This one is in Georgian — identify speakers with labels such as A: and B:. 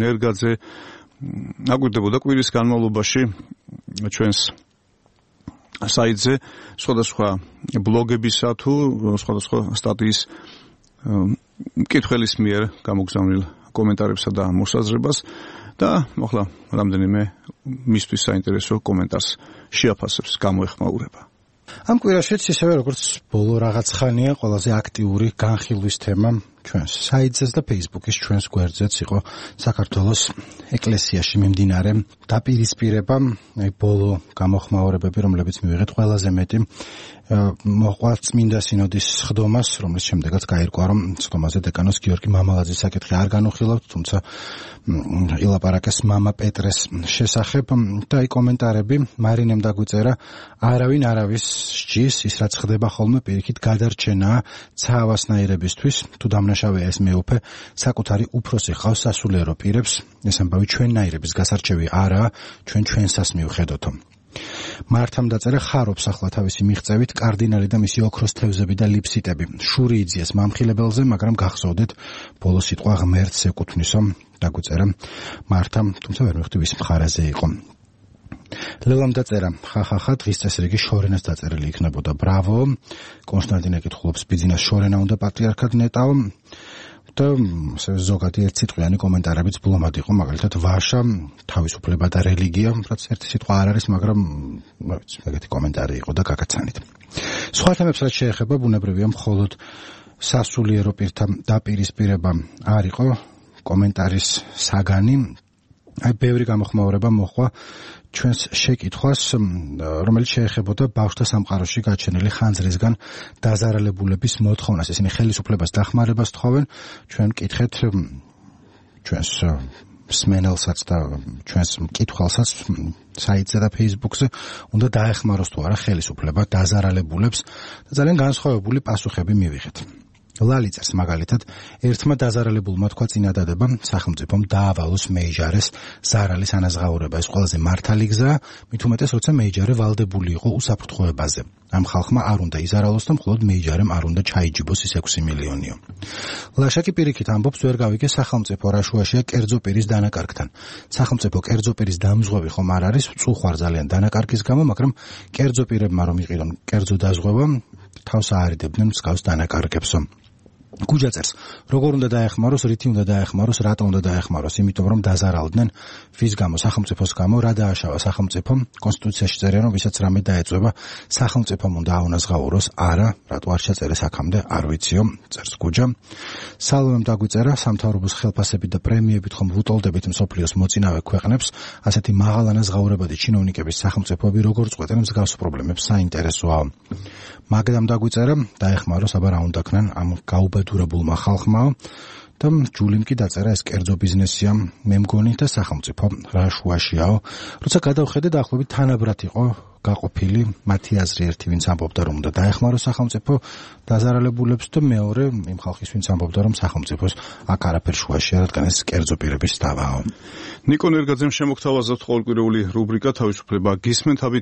A: ნერგაძე აკვირდებოდა კვირის განმავლობაში ჩვენს საიტზე სხვადასხვა ბლოგებისა თუ სხვადასხვა სტატიის მკითხველის მიერ გამოგზავნილ კომენტარებსა და მოსაზრებას და ახლა რამდენიმე მისთვის საინტერესო კომენტარს შეაფასებს გამოეხმაურება.
B: ამ კვირაშიც ისევე როგორც ბოლო რაღაც ხანია ყველაზე აქტიური განხილვის თემა ჩვენს საიტზეც და Facebook-ის ჩვენს გვერდზეც იყო საქართველოს ეკლესიაში მიმდინარე დაპირისპირება, ბოლო გამოხმაურებები, რომლებიც მივიღეთ ყველაზე მეტი მოყვა წმინდა სინოდის სხდომას, რომლის შემდეგაც გაირკვა, რომ სხდომაზე დეკანოს გიორგი მამალაძის საკითხი არ განუხილავთ, თუმცა ილაპარაკეს მამა პეტრეს შესახებ და აი კომენტარები მარინემ დაგვიწერა, არავინ არავის სჯის, ის რაც ხდება ხოლმე პირიქით გადარჩენაა ცაავასნაირებისთვის, თუ დამნაშავეა ეს მეუფე, საკუთარი უფროსი ხავს სასულიერო პირებს, ეს ამბავი ჩვენნაირების გასარჩევი არაა, ჩვენსას მივხედოთო. მართამ დაწერა ხარობს ახლა თავისი მიღწევით კარდინალი და მისი ოქროს თევზები და ლიფსიტები. შური იძიეს მამხილებელზე, მაგრამ გახსოვდეთ ბოლო სიტყვა ღმერთს ეკუთვნისო, დაგვიწერა მართამ, თუმცა ვერ მივხვდი ვის მხარეზე იყო. ლელამ დაწერა ხახახა დღის წესრიგი შორენას დაწერილი იქნებოდა. ბრავო. კონსტანტინე კითხულობს ბიძინას შორენა უნდა პატრიარქად ნეტაო. და ზოგადი ერთსიტყვიანი კომენტარებიც ბლომად იყო, მაგალითად ვაშა, თავისუფლება და რელიგია, რაც ერთი სიტყვა არ არის, მაგრამ ეგეთი კომენტარი იყო და გაგაცანით. სხვა თემებს რაც შეეხება, ბუნებრივია მხოლოდ სასულიერო პირთა დაპირისპირება არ იყო კომენტარის საგანი. აი ბევრი გამოხმაურება მოხვა ჩვენს შეკითხვას, რომელიც შეეხებოდა ბავშვთა სამყაროში გაჩენილი ხანძრისგან დაზარალებულების მოთხოვნას. ისინი ხელისუფლებას დახმარებას თხოვენ, ჩვენ მკითხეთ ჩვენს მსმენელსაც და ჩვენს მკითხველსაც საიტზე და Facebook-ზე უნდა დაეხმაროს თუ არა ხელისუფლება დაზარალებულებს და ძალიან განსხვავებული პასუხები მივიღეთ. ლალიწერს მაგალითად ერთმა დაზარალებულმა თქვა წინადადება სახელმწიფომ დაავალოს მეიჯარეს ზარალის ანაზღაურება. ეს ყველაზე მართალი გზაა, მით უმეტეს როცა მეიჯარე ვალდებული იყო უსაფრთხოებაზე. ამ ხალხმა არ უნდა იზარალოს და მხოლოდ მეიჯარემ არ უნდა ჩაიჯიბოს ის 6 მილიონიო. ლაშაკი პირიქით ამბობს, ვერ გავიგე სახელმწიფო რა შუაშია კერძო პირის დანაკარგთან. სახელმწიფო კერძო პირის დამზღვევი ხომ არ არის, წუხვარ ძალიან დანაკარგის გამო, მაგრამ კერძო პირებმა რომ იყიდონ კერძო დაზღვევა, თავს აარიდებდნენ მსგავს დანაკარგებსო. გუჯაწერს, როგორ უნდა დაეხმაროს, რითი უნდა დაეხმაროს, რატო უნდა დაეხმაროს, იმიტომ რომ დაზარალდნენ ვის გამო, სახელმწიფოს გამო, რა დააშავა სახელმწიფომ, კონსტიტუციაში წერია, რომ ვისაც რამე დაეწვევა, სახელმწიფომ უნდა აუნაზღაუროს, არა, რატო არ შეწერეს აქამდე, არ ვიციო, წერს გუჯა. სალომემ დაგვიწერა, სამთავრობოს ხელფასებით და პრემიებით ხომ ვუტოლდებით მსოფლიოს მოწინავე ქვეყნებს, ასეთი მაღალ ანაზღაურებადი ჩინოვნიკების სახელმწიფოები როგორ წყვეტენ მსგავს პრობლემებს, საინტერესოა. მაგდამ დაგვიწერა, დაეხმაროს, აბა რა უნდა ქნან ამ გაუბედურებულმა ხალხმა და ჯულიმ კი დაწერა, ეს კერძო ბიზნესია, მე მგონი და სახელმწიფო რა შუაშიაო. როცა გადავხედე დაახლოებით თანაბრად იყო გაყოფილი მათი აზრი, ერთი ვინც ამბობდა რომ უნდა დაეხმაროს სახელმწიფო დაზარალებულებს და მეორე იმ ხალხის ვინც ამბობდა რომ სახელმწიფოს აქ არაფერ შუაშია, რადგან ეს კერძო პირების დავაო.
A: ნიკო ნერგაძემ შემოგთავაზოთ ყოველკვირეული რუბრიკა თავისუფლება გისმენთ,